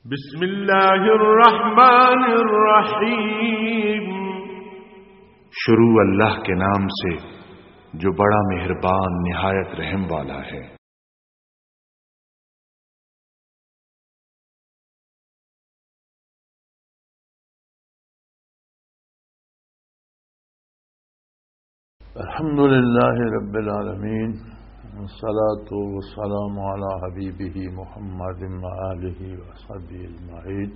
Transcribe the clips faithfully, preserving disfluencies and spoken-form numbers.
بسم اللہ الرحمن الرحیم۔ شروع اللہ کے نام سے، جو بڑا مہربان، نہایت رحم والا ہے۔ الحمد لله رب العالمين، والصلاة والسلام على حبيبه محمد وآله وصحبه أجمعين.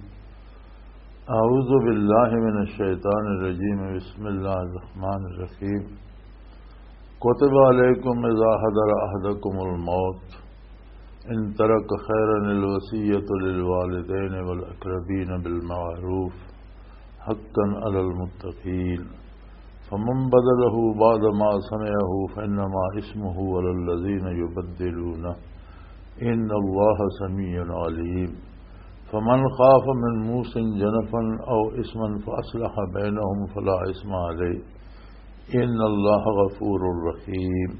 أعوذ بالله من الشيطان الرجيم. بسم الله الرحمن الرحيم. كتب عليكم إذا حضر أحدكم الموت إن ترك خيرا الوصية للوالدين والأقربين بالمعروف حقا على المتقين، فمن بدله بعد ما سمعه فإنما إثمه على الذين يبدلونه، إن الله سميع عليم. فمن خاف من موص جنفا أو إثما فأصلح بينهم فلا إثم عليه، إن الله غفور رحيم.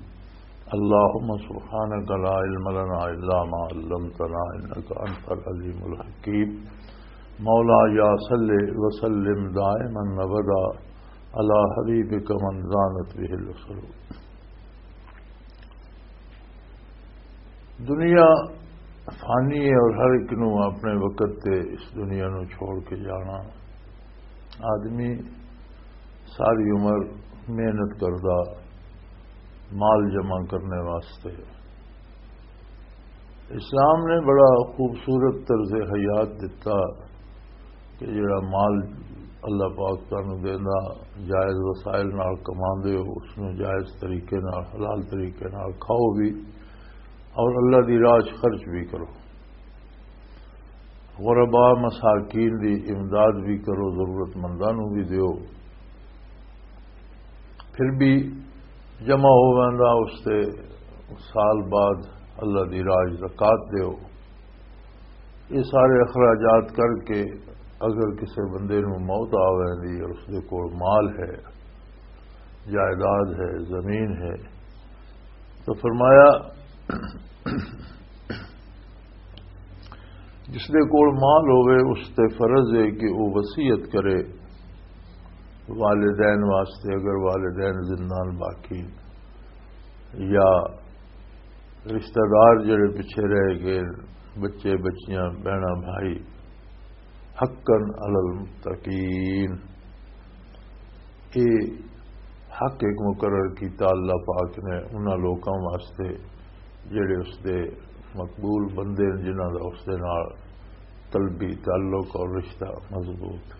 اللهم سبحانك لا علم لنا إلا ما علمتنا إنك أنت العليم الحكيم. مولاي صل وسلم دائما أبدا على حبيبك من زانت به العصر. دنیا فانی ہے اور ہر ایک نو اپنے وقت تے اس دنیا نو چھوڑ کے جانا۔ آدمی ساری عمر محنت کردا مال جمع کرنے واسطے۔ اسلام نے بڑا خوبصورت طرز حیات دتا کہ جڑا مال اللہ پاک تانوں دیندا، جائز وسائل نال کماندے ہو، اس نوں جائز طریقے نال، حلال طریقے نال کھاؤ بھی اور اللہ دی راہ 'چ خرچ بھی کرو۔ غربا مساکین دی امداد بھی کرو، ضرورت منداں نوں بھی دیو۔ پھر بھی جمع ہو ویندا، اس تے سال بعد اللہ دی راہ 'چ زکوٰۃ دیو۔ یہ سارے اخراجات کر کے اگر کسی بندے نوں موت آ ویندی اور اس دے کول مال ہے، جائیداد ہے، زمین ہے، تو فرمایا، جس دے کول مال ہوئے، اس تے فرض ہے کہ وہ وصیت کرے والدین واسطے، اگر والدین زندان باقی، یا رشتہ دار جڑے پیچھے رہ گئے، بچے، بچیاں، بہناں، بھائی، حقاً علی المتقین، یہ حق ایک مقرر کیتا اللہ پاک نے انہاں لوکاں واسطے جڑے اس دے مقبول بندے نے، جنہاں دا اس دے نال قلبی تعلق اور رشتہ مضبوط۔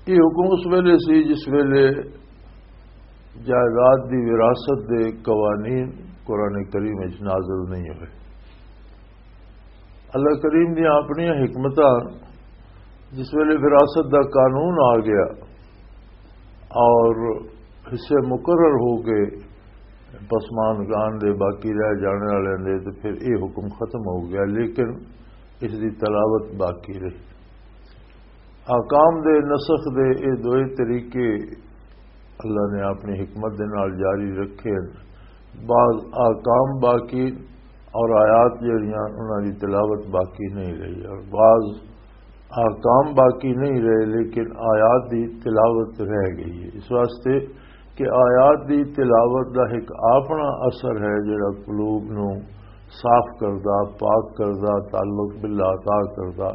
یہ حکم اس ویلے سی جس ویلے جائیداد دی وراثت دے قوانین قرآن کریم وچ نازل نہیں ہوئے۔ اللہ کریم دیاں اپنیاں حکمتاں، جس ویلے وراثت دا قانون آ گیا اور حصے مقرر ہو گئے پسماندگان دے، باقی رہ جانے والے دے، تو پھر یہ حکم ختم ہو گیا، لیکن اس دی تلاوت باقی رہی۔ احکام دے نسخ دے یہ دوئے طریقے اللہ نے اپنی حکمت دے نال جاری رکھے۔ بعض احکام باقی اور آیات جڑیاں انہاں دی تلاوت باقی نہیں رہی، اور بعض احکام باقی نہیں رہے لیکن آیات دی تلاوت رہ گئی ہے۔ اس واسطے کہ آیات دی تلاوت دا ایک اپنا اثر ہے جڑا قلوب نو صاف کردا، پاک کردا، تعلق باللہ عطا کردا۔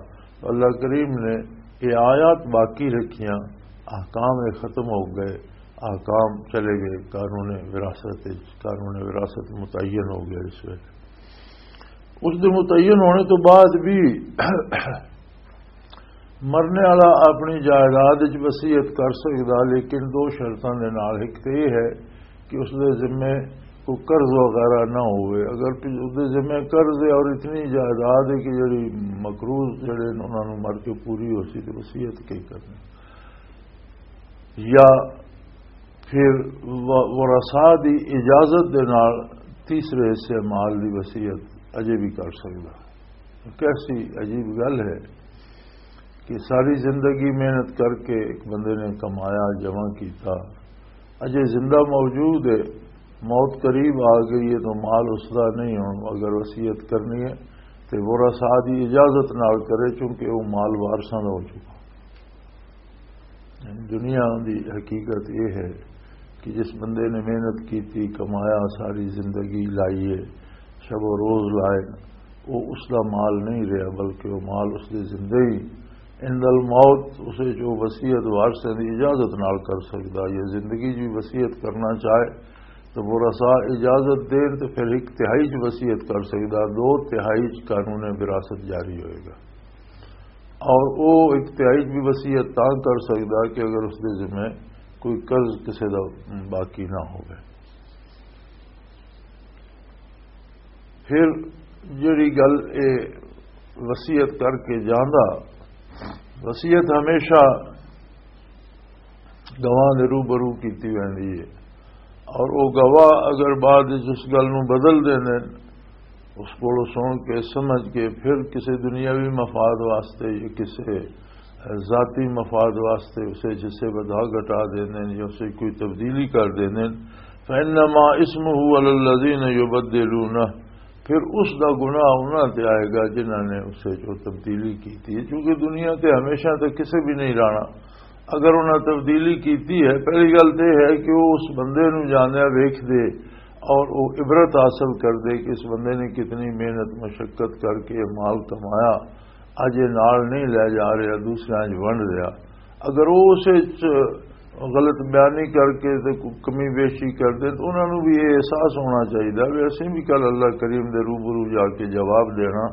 اللہ کریم نے یہ آیات باقی رکھیاں، احکام یہ ختم ہو گئے، احکام چلے گئے قانون وراثت وچ، قانون وراثت متعین ہو گیا اس ویلے۔ اس دے متعین ہونے تو بعد بھی مرنے والا اپنی جائیداد وچ وصیت کر سکدا، لیکن دو شرطاں دے نال۔ ایک تے یہ ہے کہ اس دے ذمے کوئی قرض وغیرہ نہ ہوئے۔ اگر پ-، اس دے ذمے قرض ہے اور اتنی جائیداد ہے کہ جڑی مقروض جڑے نے انہاں نوں مر کے پوری ہو سی، تے وصیت کی کرنی؟ یا پھر و-، ورثاء دی اجازت دے نال تیسرے حصے مال دی وصیت اجے بھی کر سکدا۔ کیسی عجیب گل ہے کہ ساری زندگی محنت کر کے ایک بندے نے کمایا، جمع کیتا، اجے زندہ موجود ہے، موت قریب آ گئی ہے تو مال اس دا نہیں، ہن اگر وصیت کرنی ہے تے ورثاء دی اجازت نال کرے، چونکہ وہ مال وارثاں دا ہو چکا۔ دنیا دی حقیقت یہ ہے کہ جس بندے نے محنت کیتی، کمایا، ساری زندگی لائی ہے، شب و روز لائے، وہ اس دا مال نہیں رہا، بلکہ وہ مال اس دے زندہ ہی۔ عند الموت اسے جو وصیت وارثاں دی اجازت نال کر سکدا، یا زندگی جی وصیت کرنا چاہے تو ورثاء اجازت دین تے پھر ایک تہائی چ وصیت کر سکدا، دو تہائی چ قانون وراثت جاری ہوئے گا۔ اور وہ ایک تہائی چ بھی وصیت تاں کر سکدا کہ اگر اس دے ذمہ کوئی قرض کسے دا باقی نہ ہوئے۔ پھر جڑی گل اے وصیت کر کے جاندا، وصیت ہمیشہ گواہ دے روبرو کیتی ویندی ہے، اور وہ گواہ اگر بعد وچ اس گل نوں بدل دیندے نے، اس کولوں سن کے، سمجھ کے، پھر کسی دنیاوی مفاد واسطے یا کسی ذاتی مفاد واسطے اسے جسے ودھا گھٹا دیندے نے یا اسے کوئی تبدیلی کر دیندے نے، فإنما اسمه على الذين يبدلونه، پھر اس دا گناہ انہاں تے آئے گا جنہاں نے اسے جو تبدیلی کی تھی، کیونکہ دنیا تے ہمیشہ تے کسے بھی نہیں رہنا۔ اگر انہاں تبدیلی کیتی ہے، پہلی گل تے ہے کہ وہ اس بندے نو جانے ویکھ دے اور وہ عبرت حاصل کر دے کہ اس بندے نے کتنی محنت مشقت کر کے یہ مال کمایا، اج یہ نال نہیں لے جا رہا، دوسرے اج ونڈ دیا۔ اگر وہ اسے چ غلط بیانی کر کے تے کوئی کمی بیشی کر دے، تو انہاں نوں بھی یہ احساس ہونا چاہیے بھی اسیں بھی کل اللہ کریم دے روبرو جا کے جواب دینا،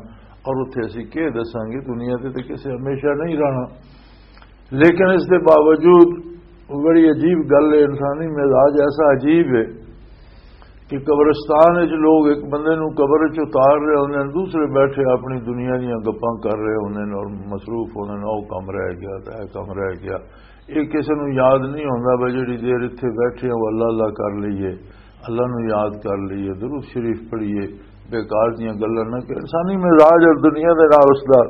اور اتھے اسی کہہ دساں گے، دنیا تے تے کسے ہمیشہ نہیں رہنا۔ لیکن اس دے باوجود بڑی عجیب گل ہے، انسانی مزاج ایسا عجیب ہے کہ قبرستان وچ لوگ ایک بندے نوں قبر وچ اتار رہے ہوندے نے، دوسرے بیٹھے اپنی دنیا دیاں گپاں کر رہے ہوندے نے اور مصروف ہوندے نے، "او کم رہ گیا، تے اے کم رہ گیا۔" یہ کسی نوں یاد نہیں ہوندا بھائی جڑی دیر اتھے بیٹھے ہو اللہ اللہ کر لئیے، اللہ نوں یاد کر لئیے، درود شریف پڑھیے، بیکار دیاں گلاں نہ کہ انسانی مزاج اور دنیا دے نال اس دا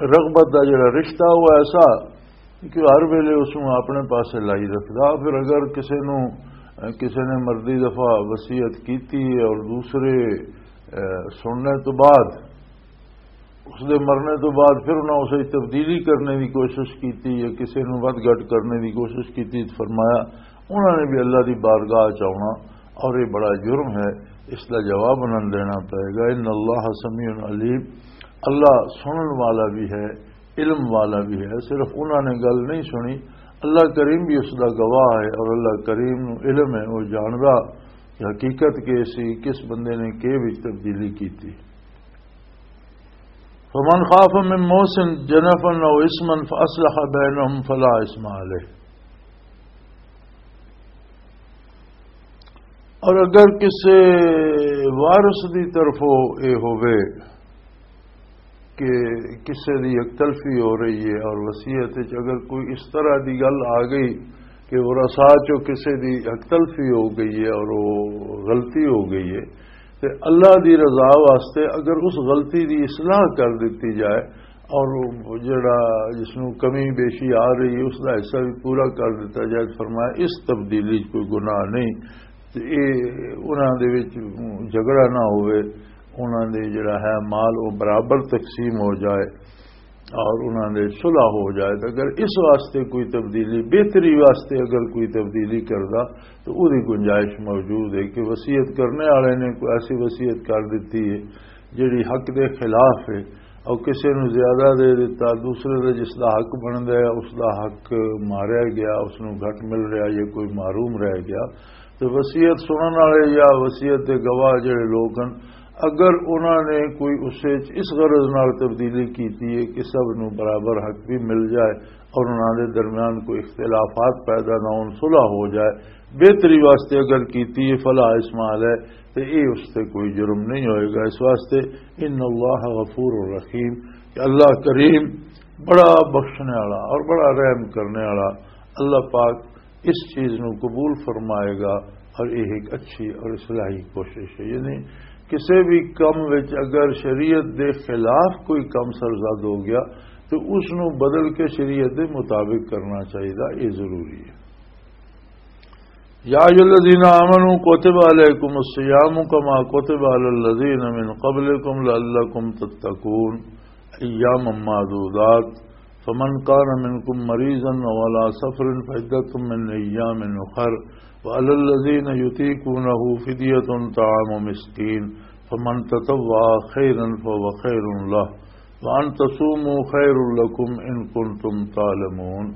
رغبت دا جڑا رشتہ وہ ایسا کہ ہر ویلے اس نوں اپنے پاسے لائی رکھدا۔ پھر اگر کسے نوں، کسے نے مردی دفعہ وصیت کیتی ہے اور دوسرے، اے، سننے تو بعد، اس دے مرنے تو بعد پھر انہاں اسے تبدیلی کرنے دی کوشش کیتی یا کسے نوں ود گھٹ کرنے دی کوشش کیتی، تو فرمایا انہاں نے بھی اللہ دی بارگاہ چ آنا اور یہ بڑا جرم ہے، اس دا جواب انہاں نوں دینا پائے گا۔ ان اللہ سمیع علیم، اللہ سنن والا بھی ہے، علم والا بھی ہے۔ صرف انہاں نے گل نہیں سنی، اللہ کریم بھی اس دا گواہ ہے اور اللہ کریم نو علم ہے، وہ جاندا کہ حقیقت کے سی کس بندے نے کے وچ تبدیلی کیتی۔ فمن خاف من موص جنفا او اثما فاصلح بینہم فلا اثم علیہ۔ اور اگر کسی وارث دی طرفوں یہ ہووے کہ کسی دی یک تلفی ہو رہی ہے اور وصیت وچ اگر کوئی اس طرح دی گل آ گئی کہ ورثاء چوں کسی دی یک تلفی ہو گئی ہے اور وہ غلطی ہو گئی ہے، تے اللہ دی رضا واسطے اگر اس غلطی دی اصلاح کر دتی جائے اور وہ جڑا جس نوں کمی بیشی آ رہی ہے اس دا حصہ بھی پورا کر دتا جائے، فرمایا اس تبدیلی 'چ کوئی گناہ نہیں۔ تے اے انہاں دے وچ جھگڑا نہ ہوئے، انہاں دے جڑا ہے مال وہ برابر تقسیم ہو جائے اور انہاں دے صلح ہو جائے۔ تے اگر اس واسطے کوئی تبدیلی، بہتری واسطے اگر کوئی تبدیلی کردا تو اودی گنجائش موجود ہے کہ وصیت کرنے والے نے کوئی ایسی وصیت کر دیتی ہے جڑی حق دے خلاف ہے، اور کسے نو زیادہ دے دیتا، دوسرے دے جس دا حق بندا ہے اس دا حق ماریا گیا، اس نو گھٹ مل رہا یا کوئی محروم رہ گیا۔ تو وصیت سنن والے یا وصیت دے گواہ جڑے لوگ ہیں، اگر انہاں نے کوئی اس وچ اس غرض نال تبدیلی کیتی ہے کہ سب نو برابر حق بھی مل جائے اور انہاں دے درمیان کوئی اختلافات پیدا نہ ہون، صلح ہو جائے، بہتری واسطے اگر کیتی ہے، فلا اثم علیہ، تے اے اس تے کوئی جرم نہیں ہوئے گا۔ اس واسطے ان اللہ غفور رحیم، کہ اللہ کریم بڑا بخشنے والا اور بڑا رحم کرنے والا۔ اللہ پاک اس چیز نو قبول فرمائے گا اور یہ ایک اچھی اور اصلاحی کوشش ہے۔ یعنی کسی بھی کم وچ اگر شریعت دے خلاف کوئی کم سرزد ہو گیا تو اس نو بدل کے شریعت دے مطابق کرنا چاہیے، یہ ضروری ہے۔ يا أيها الذين آمنوا كتب عليكم الصيام كما كتب على الذين من قبلكم لعلكم تتقون. أياما معدودات، فمن كان منكم مريضا أو على سفر فعدة من أيام أخر، وعلى الذين يطيقونه فدية طعام مسكين، فمن تطوع خيرا فهو خير له، وأن تصوموا خير لكم إن كنتم تعلمون.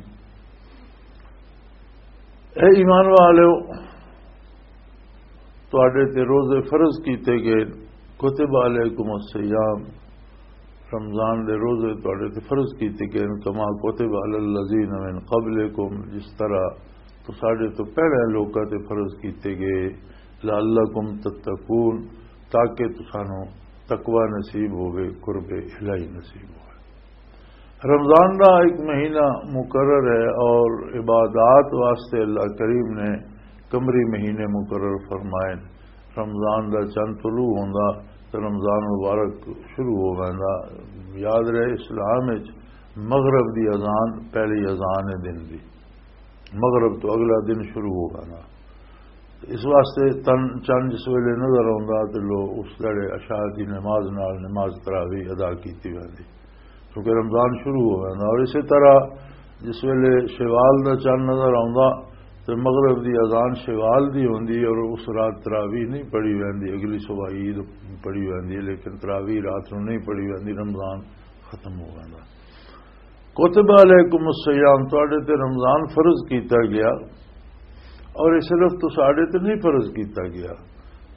اے ایمان والو، تواڈے تے روزے فرض کیتے گئے، کتب علیکم الصیام، رمضان دے روزے تواڈے تے فرض کیتے گئے، کما کتب علی الذین من قبلکم، جس طرح تو ساڈے تو پہلے لوکاں تے فرض کیتے گئے، لعلکم تتقون، تاکہ تسانو تقوی نصیب ہوئے، قرب الہی نصیب ہوئے۔ رمضان دا ایک مہینہ مقرر ہے اور عبادات واسطے اللہ کریم نے قمری مہینے مقرر فرمائے۔ رمضان دا چند طلوع ہوندا تے رمضان مبارک شروع ہو ویندا۔ یاد رہے، اسلام وچ مغرب دی اذان پہلی اذان ہے دن دی، مغرب تو اگلا دن شروع ہو ویندا۔ اس واسطے تن چند جس ویلے نظر آوندا تے لوگ اس دڑے عشاء دی نماز نال نماز تراویح ادا کیتی ویندی، کیونکہ رمضان شروع ہو ویندا۔ اور اسی طرح جس ویلے شوال دا چند نظر آوندا تے مغرب دی اذان شوال دی ہوندی اور اس رات تراویح نہیں پڑھی ویندی، اگلی صبح عید پڑھی ویندی، لیکن تراویح رات نوں نہیں پڑھی ویندی، رمضان ختم ہو ویندا۔ کتب علیکم الصیام، تواڈے تے رمضان فرض کیتا گیا، اور یہ صرف تساڈے تے نہیں فرض کیتا گیا،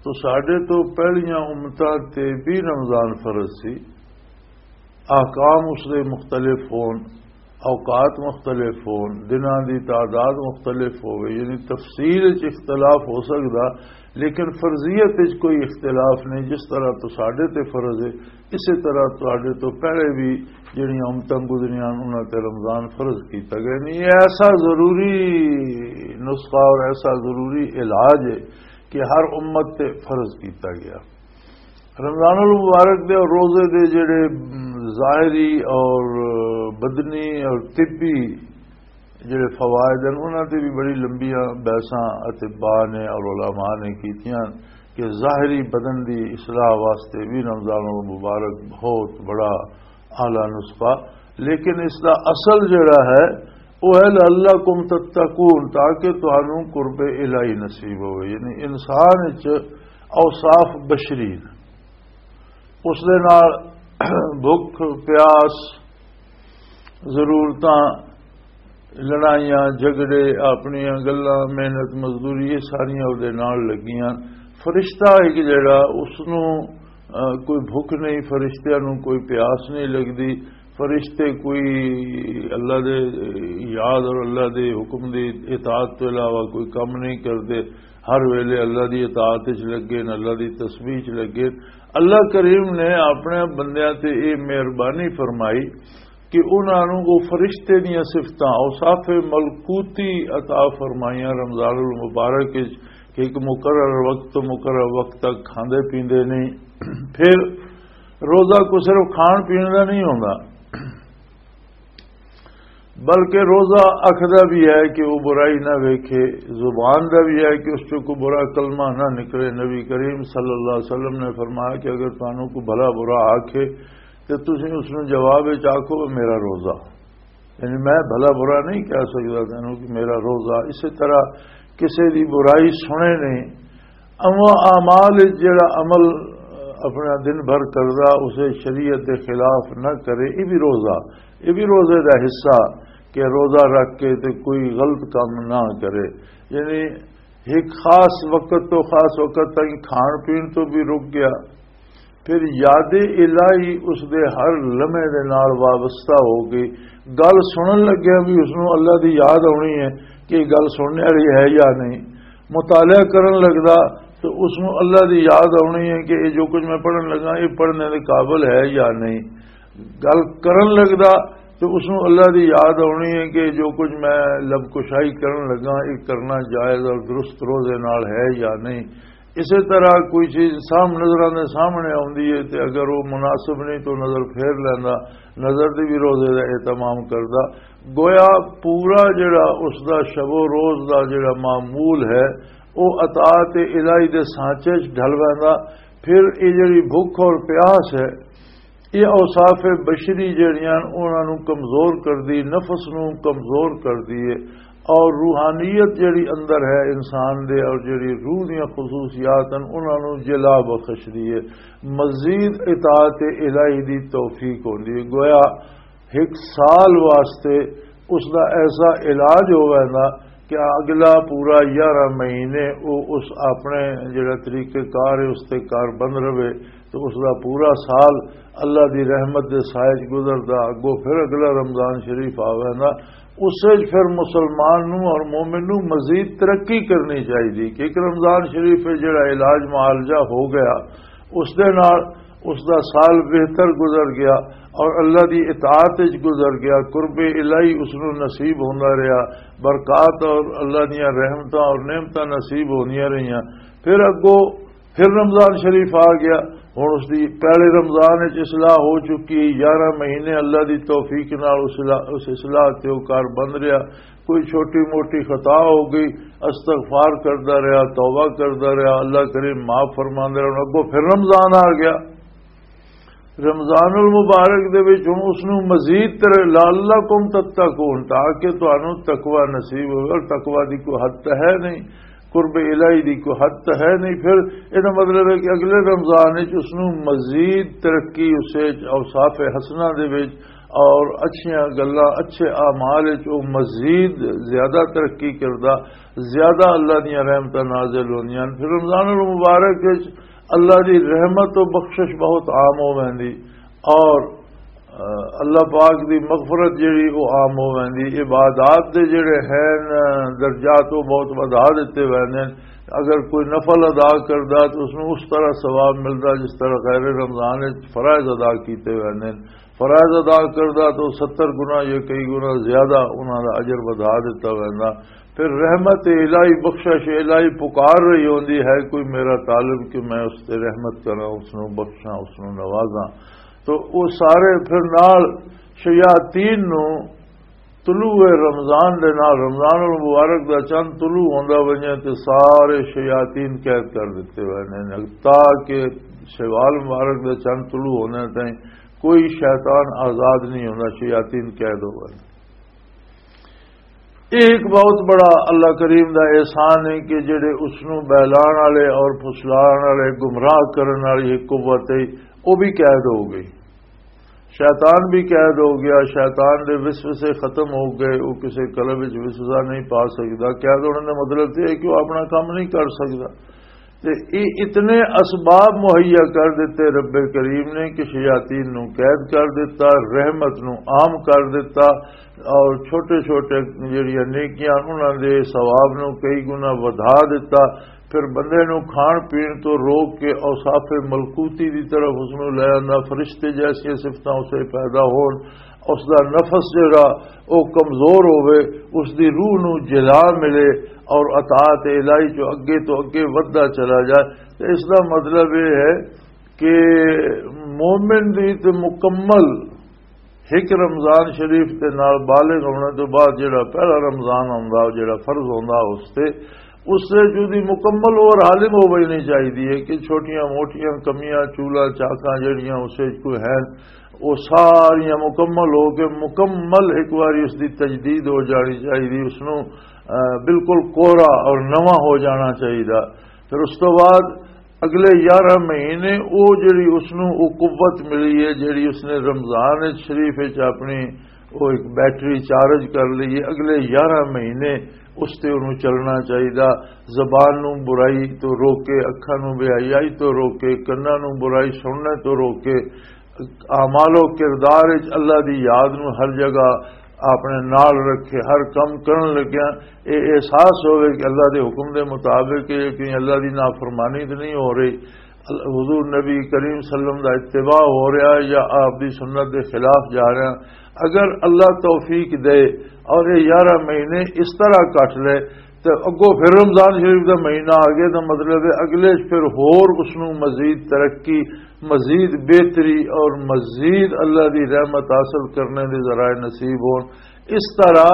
تساڈے تو پہلیاں امتاں تے بھی رمضان فرض سی۔ احکام اس دے مختلف ہون، اوقات مختلف ہون، دناں دی تعداد مختلف ہوئے، یعنی تفصیل وچ اختلاف ہو سکدا، لیکن فرضیت وچ کوئی اختلاف نہیں۔ جس طرح تساڈے تے فرض ہے، اسی طرح تہاڈے تو پہلے بھی جڑیاں امتاں گزریاں، انہاں تے رمضان فرض کیتا گیا۔ نہیں، یہ ایسا ضروری نسخہ اور ایسا ضروری علاج ہے کہ ہر امت تے فرض کیتا گیا۔ رمضان المبارک دے اور روزے دے جڑے، م، ظاہری اور بدنی اور طبی جڑے فوائد ہیں، انہاں تے بھی بڑی لمبیاں بحثاں اطباء نے اور علماء نے کیتیاں کہ ظاہری بدن دی اصلاح واسطے بھی رمضان المبارک بہت بڑا اعلیٰ نسخہ، لیکن اس دا اصل جڑا ہے، وہ ہے لعلکم تتقون، تاکہ تانوں قرب الہی نصیب ہوئے۔ یعنی انسان وچ اوصاف بشری نے، اس دے نال بھوک، پیاس، ضرورتاں، لڑائیاں، جھگڑے، اپنیاں گلاں، محنت مزدوری، یہ ساریاں او دے نال لگیاں۔ فرشتہ ایک جڑا، اس نوں، آ، کوئی بھوک نہیں، فرشتیاں نوں کوئی پیاس نہیں لگدی۔ فرشتے کوئی اللہ دے یاد اور اللہ دے حکم دی اطاعت تو علاوہ کوئی کم نہیں کردے۔ ہر ویلے اللہ دی اطاعت وچ لگے نے، اللہ دی تسبیح وچ لگے۔ اللہ کریم نے اپنے بندیاں تے یہ مہربانی فرمائی کہ انہاں نوں وہ فرشتے دیاں صفتاں، اوصاف ملکوتی عطا فرمائیاں رمضان المبارک وچ کہ ایک مقرر وقت تو مقرر وقت تک کھاندے پیندے نہیں۔ پھر روزہ کو صرف کھان پین دا نہیں ہوندا، بلکہ روزہ اکھ دا بھی ہے کہ وہ برائی نہ ویکھے، زبان دا بھی ہے کہ اس چوں کوئی برا کلمہ نہ نکلے۔ نبی کریم صلی اللہ علیہ وسلم نے فرمایا کہ اگر تانوں کوئی بھلا برا آکھے تے تسی اس نوں جواب وچ آکھو، "میرا روزہ"، یعنی میں بھلا برا نہیں کہہ سکدا تینوں کہ میرا روزہ۔ اسی طرح کسے دی برائی سنے نہیں، اما اعمال وچ جڑا عمل اپنا دن بھر کردا، اسے شریعت دے خلاف نہ کرے، یہ بھی روزہ، یہ بھی روزے دا حصہ کہ روزہ رکھ کے تے کوئی غلط کام نہ کرے۔ یعنی ایک خاص وقت تو خاص وقت تک کھان پین تو بھی رک گیا، پھر یاد الہی اس دے ہر لمحے دے نال وابستہ ہو گئی۔ گل سنن لگیا بھی اس نوں اللہ دی یاد آنی ہے کہ یہ گل سننے والی ہے یا نہیں، مطالعہ کرن لگدا تو اس نوں اللہ دی یاد آنی ہے کہ یہ جو کچھ میں پڑھن لگا، یہ پڑھنے دے قابل ہے یا نہیں۔ گل کرن لگدا تو اس نوں اللہ دی یاد آنی ہے کہ جو کچھ میں لب کشائی کرن لگا، یہ کرنا جائز اور درست روزے نال ہے یا نہیں۔ اسی طرح کوئی چیز سام نظراں دے سامنے آوندی ہے تے اگر وہ مناسب نہیں تو نظر پھیر لیندا، نظر دی بھی روزے دا اہتمام کردا۔ گویا پورا جڑا اس دا شب و روز دا جڑا معمول ہے، وہ اطاعت الہی دے سانچے چ ڈھل ویندا۔ پھر یہ جڑی بھوک اور پیاس ہے، یہ اوصاف بشری جڑیاں انہاں نوں کمزور کردی، نفس نوں کمزور کردی ہے، اور روحانیت جڑی اندر ہے انسان دے اور جڑی روح دیاں خصوصیات ہیں، انہاں نوں جلا بخش دی ہے۔ مزید اطاعت الہی دی توفیق ہوندی ہے۔ گویا ایک سال واسطے اس دا ایسا علاج ہووے نا کہ اگلا پورا یارہ مہینے او اس اپنے جڑا طریقہ کار ہے اس تے کار بند رہے، تو اس دا پورا سال اللہ دی رحمت دے سائے چ گزردا۔ اگوں پھر اگلا رمضان شریف آوے نا، اس وچ پھر مسلمان نوں اور مومن نوں مزید ترقی کرنی چاہیے کہ ایک رمضان شریف ہے جڑا علاج معالجہ ہو گیا، اس دے نال اس دا سال بہتر گزر گیا اور اللہ دی اطاعت وچ گزر گیا، قرب الہی اس نوں نصیب ہوندا رہیا، برکات اور اللہ دیاں رحمتاں اور نعمتاں نصیب ہوندیاں رہیاں۔ پھر اگوں پھر رمضان شریف آ گیا، ہن اس دی پہلے رمضان وچ اصلاح ہو چکی، یارہ مہینے اللہ دی توفیق نال اس اصلاح، اس اصلاح تے او کار بند رہیا۔ کوئی چھوٹی موٹی خطا ہو گئی، استغفار کردا رہیا، توبہ کردا رہیا، اللہ کریم معاف فرماندا رہیا۔ ہن اگوں پھر رمضان آ گیا، رمضان المبارک دے وچ ہن اس نوں مزید تر لعلکم تتقون، تاکہ تانوں تقوی نصیب ہوئے۔ اور تقوی دی کوئی حد تو ہے نہیں، قرب الہی دی کوئی حد تو ہے نہیں۔ پھر یہ مطلب ہے کہ اگلے رمضان وچ اس نوں مزید ترقی، اسے اوصاف حسنہ دے وچ اور اچھیاں گلاں، اچھے اعمال وچ وہ مزید زیادہ ترقی کردا، زیادہ اللہ دیاں رحمتاں نازل ہوندیاں۔ پھر رمضان المبارک وچ اللہ دی رحمت و بخشش بہت عام ہو ویندی اور، آ، اللہ پاک دی مغفرت جڑی وہ عام ہو ویندی۔ عبادات دے جڑے ہیں، آ، درجات وہ بہت ودھا دتے ویندے ہیں۔ اگر کوئی نفل ادا کردا تو اس نوں اس طرح ثواب ملدا جس طرح غیر رمضان وچ فرائض ادا کیتے ویندے ہیں۔ فرائض ادا کردا تو ستر گنا یا کئی گنا زیادہ انہاں دا اجر ودھا دتا ویندا۔ پھر رحمت الہی، بخشش الہی پکار رہی ہوندی ہے، کوئی میرا طالب کہ میں اس تے رحمت کراں، اس نوں بخشاں، اس نوں نوازاں۔ تو وہ سارے پھر نال شیاطین نوں طلوع رمضان دے نال، رمضان المبارک دا چند طلوع ہوندا ونجے تے سارے شیاطین قید کر دتے ہوئے نے، تاکہ شوال مبارک دا چند طلوع ہونے تائیں کوئی شیطان آزاد نہیں ہوندا، شیاطین قید ہو گئے۔ یہ ایک بہت بڑا اللہ کریم دا احسان ہے کہ جڑے اس نوں بہلان والے اور پھسلان والے، گمراہ کرن والی ایک قوت ہے، وہ بھی قید ہو گئی۔ شیطان بھی قید ہو گیا، شیطان دے وسوسے ختم ہو گئے، وہ کسے قلب وچ وسوسہ نہیں پا سکدا۔ قید ہونے دا مطلب تے ہے کہ وہ اپنا کام نہیں کر سکدا۔ تے یہ اتنے اسباب مہیا کر دیتے رب کریم نے کہ شیاطین نو قید کر دیتا، رحمت نو عام کر دیتا، اور چھوٹے چھوٹے جڑیاں نیکیاں انہاں دے ثواب نو کئی گنا ودھا دیتا۔ پھر بندے نو کھان پین تو روک کے اوصاف ملکوتی دی طرف اس نو لے آندا، فرشتے جیسیاں صفتاں اسے پیدا ہون، اس دا نفس جڑا او کمزور ہووے، اس دی روح نو جلا ملے اور اطاعت الہی چو اگے تو اگے ودھدا چلا جائے۔ تے اس دا مطلب یہ ہے کہ مومن دی تے مکمل ایک رمضان شریف دے نال بالغ ہونے تو بعد جڑا پہلا رمضان ہوندا، جڑا فرض ہوندا اس تے، اس سے جو دی مکمل اوور ہالنگ ہو ویندی چاہیے ہے کہ چھوٹیاں موٹیاں کمیاں، چولا چاکاں جڑیاں اس وچ کوئی ہیں، وہ ساریاں مکمل ہو کے مکمل ایک باری اس دی تجدید ہو جانی چاہیے، اس نو، آ، بالکل کورا اور نواں ہو جانا چاہیے۔ پھر اس تو بعد اگلے یارہ مہینے او جڑی اس نو او قوت ملی ہے، جڑی اس نے رمضان شریف وچ اپنی او ایک بیٹری چارج کر لی ہے، اگلے یارہ مہینے اس تے انہوں چلنا چاہیدا۔ زبان نو برائی تو روکے، اکھاں نو بے حیائی تو روکے، کناں نو برائی سننے تو روکے، اعمال و کردار وچ اللہ دی یاد نو ہر جگہ اپنے نال رکھے، ہر کم کرن لگیا اے احساس ہوئے کہ اللہ دے حکم دے مطابق ہے، کہیں اللہ دی نافرمانی تے نہیں ہو رہی، ال-، حضور نبی کریم صلی اللہ علیہ وسلم دا اتباع ہو رہا ہے یا آپ دی سنت دے خلاف جا رہا ہے۔ اگر اللہ توفیق دے اور یہ یارہ مہینے اس طرح کٹ لے تے اگوں پھر رمضان شریف دا مہینہ آ گیا، تو مطلب ہے اگلے پھر ہور اس نوں مزید ترقی، مزید بہتری اور مزید اللہ دی رحمت حاصل کرنے دے ذرائع نصیب ہون۔ اس طرح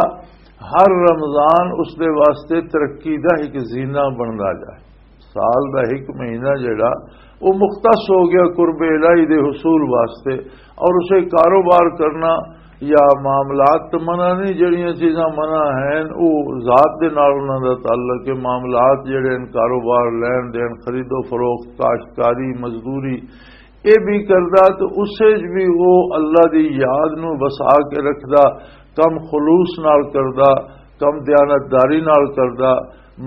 ہر رمضان اس دے واسطے ترقی دا ایک زینہ بندا جائے۔ سال دا ایک مہینہ جڑا، وہ مختص ہو گیا قرب الہی دے حصول واسطے، اور اسے کاروبار کرنا یا معاملات تو منع نہیں، جڑیاں چیزاں منع ہیں، وہ ذات دے نال انہاں دا تعلق ہے۔ معاملات جڑے ہیں، کاروبار، لین دین، خرید و فروخت، کاشتکاری، مزدوری، یہ بھی کردا، تو اسے وچ بھی وہ اللہ دی یاد نو وسا کے رکھدا، کم خلوص نال کردا، کم دیانتداری نال کردا،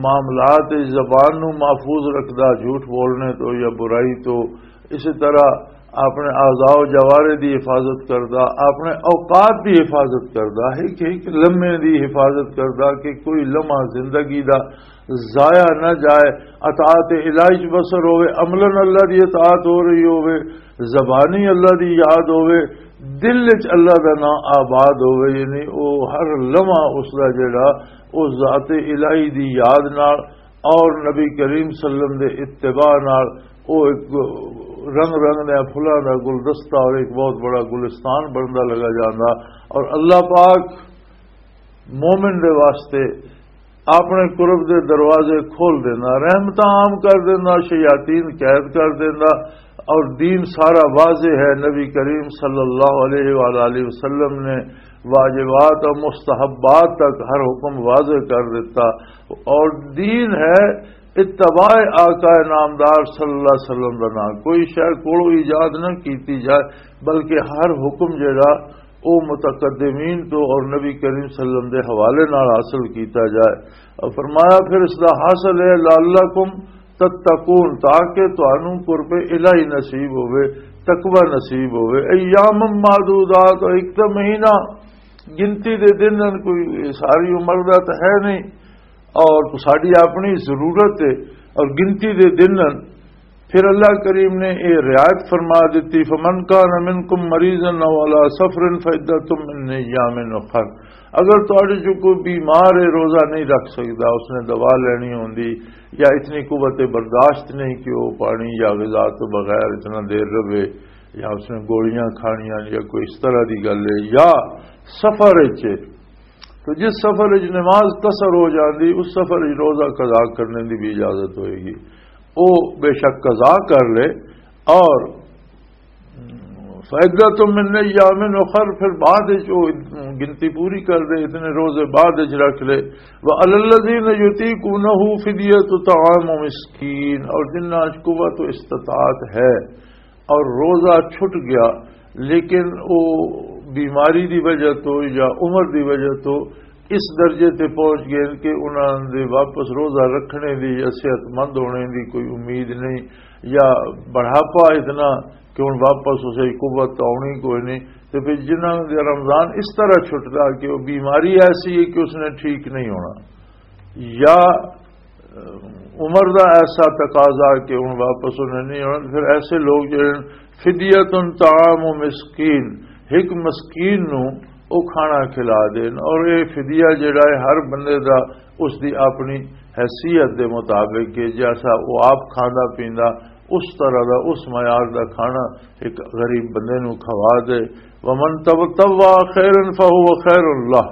معاملات وچ زبان نو محفوظ رکھدا، جھوٹ بولنے تو یا برائی تو، اسی طرح اپنے اعضاء و جوارے دی حفاظت کردا، اپنے اوقات دی حفاظت کردا، ایک ایک لمحے دی حفاظت کردا کہ کوئی لمحہ زندگی دا ضائع نہ جائے، اطاعت الہی چ بسر ہوے، عملاً اللہ دی اطاعت ہو رہی ہوے، زبانی اللہ دی یاد ہوے، دل وچ اللہ دا نام آباد ہوے، یعنی او ہر لمحہ اس دا جڑا، او ذات الہی دی یاد نال اور نبی کریم صلی اللہ علیہ وسلم دے اتباع نال او ایک رنگ رنگ دے پھلاں دا گلدستہ اور ایک بہت بڑا گلستان بندا لگا جاندا۔ اور اللہ پاک مومن دے واسطے اپنے قرب دے دروازے کھول دینا، رحمتاں عام کر دینا، شیاطین قید کر دینا، اور دین سارا واضح ہے۔ نبی کریم صلی اللہ علیہ وآلہ وسلم نے واجبات اور مستحبات تک ہر حکم واضح کر دیتا، اور دین ہے اتباع آقا نامدار صلی اللہ علیہ وسلم دا نام۔ کوئی شے کولوں ایجاد نہ کیتی جائے، بلکہ ہر حکم جڑا او متقدمین تو اور نبی کریم صلی اللہ علیہ وسلم دے حوالے نال حاصل کیتا جائے۔ اور فرمایا، پھر اس دا حاصل ہے، لعلکم تتقون، تاکہ تانوں قرب الہی نصیب ہوے، تقوی نصیب ہوے۔ ایام معدودات، اور ایک تو مہینہ، گنتی دے دن ہن، کوئی ساری عمر دا تو ہے نہیں، اور ساری اپنی ضرورت ہے، اور گنتی دے دن ہن۔ پھر اللہ کریم نے یہ رعایت فرما دیتی، فمن کان منکم مریضا او علی سفر فعدۃ من ایام اخر۔ اگر تہاڈے چوں کوئی بیمار ہے، روزہ نہیں رکھ سکدا، اس نے دوا لینی ہوندی، یا اتنی قوت برداشت نہیں کہ وہ پانی یا غذا تو بغیر اتنا دیر رہے، یا اس نے گولیاں کھانیاں، یا کوئی اس طرح دی گل ہے، یا سفر وچ، تو جس سفر وچ نماز قصر ہو جاندی، اس سفر وچ روزہ قضا کرنے دی بھی اجازت ہوئے گی۔ او بے شک قضا کر لے، اور فعدۃ من ایام اخر، پھر بعد وچ او گنتی پوری کر دے، اتنے روزے بعد وچ رکھ لے۔ وعلی الذین یطیقونہ فدیۃ طعام مسکین، اور جنہاں وچ قوت و استطاعت ہے اور روزہ چھٹ گیا، لیکن او بیماری دی وجہ تو یا عمر دی وجہ تو اس درجے تے پہنچ گئے کہ انہاں دے واپس روزہ رکھنے دی یا صحت مند ہونے دی کوئی امید نہیں، یا بڑھاپا اتنا کہ ہن واپس اسے قوت آنی کوئی نہیں۔ تے پھر جنہاں دے رمضان اس طرح چھٹدا کہ وہ بیماری ایسی ہے کہ اس نے ٹھیک نہیں ہونا، یا عمر دا ایسا تقاضا کہ ہن واپس انہیں نہیں آنا، پھر ایسے لوگ جڑے فدیۃ طعام مسکین، ایک مسکین نو او کھانا کھلا دین۔ اور یہ فدیہ جڑا ہے ہر بندے دا اس دی اپنی حیثیت دے مطابق کہ جیسا وہ آپ کھاندا پیندا، اس طرح دا، اس معیار دا کھانا ایک غریب بندے نو کھوا دے۔ ومن تطوع خیرا فہو خیر اللہ،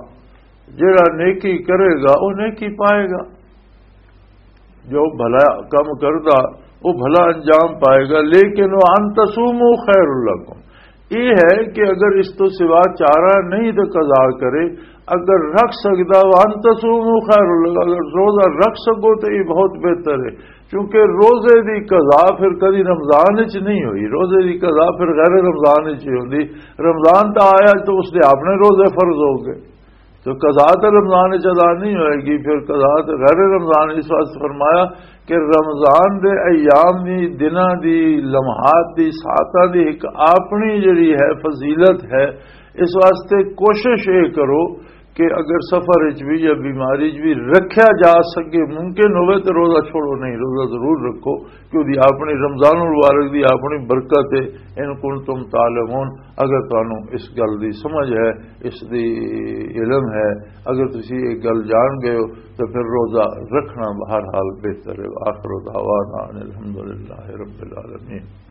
جڑا نیکی کرے گا وہ نیکی پائے گا، جو بھلا کم کردا وہ بھلا انجام پائے گا۔ لیکن وان تصوموا خیر لکم، یہ ہے کہ اگر اس تو سوا چارہ نہیں تو قضا کرے، اگر رکھ سکدا، وان تصوموا خیر لکم، اگر روزہ رکھ سکو تو یہ بہت بہتر ہے، کیونکہ روزے دی قضا پھر کدی رمضان وچ نہیں ہوئی، روزے دی قضا پھر غیر رمضان وچ ہی ہوندی۔ رمضان تا آیا تو اس دے اپنے روزے فرض ہو گئے، تو قضا تو رمضان وچ ادا نہیں ہوئے گی، پھر قضا تو غیر رمضان۔ اس واسطے فرمایا کہ رمضان دے ایام دی، دناں دی، لمحات دی، ساعتاں دی ایک اپنی جڑی ہے فضیلت ہے۔ اس واسطے کوشش یہ کرو کہ اگر سفر وچ بھی یا بیماری وچ بھی رکھیا جا سکے، ممکن ہوئے تو روزہ چھوڑو نہیں، روزہ ضرور رکھو، کہ اودی اپنی رمضان المبارک دی اپنی برکت ہے۔ ان کنتم تعلمون، اگر تانوں اس گل دی سمجھ ہے، اس دی علم ہے، اگر تسی یہ گل جان گئے ہو، تو پھر روزہ رکھنا بہرحال بہتر ہے۔ آخر دعوانا ان الحمدللہ رب العالمین۔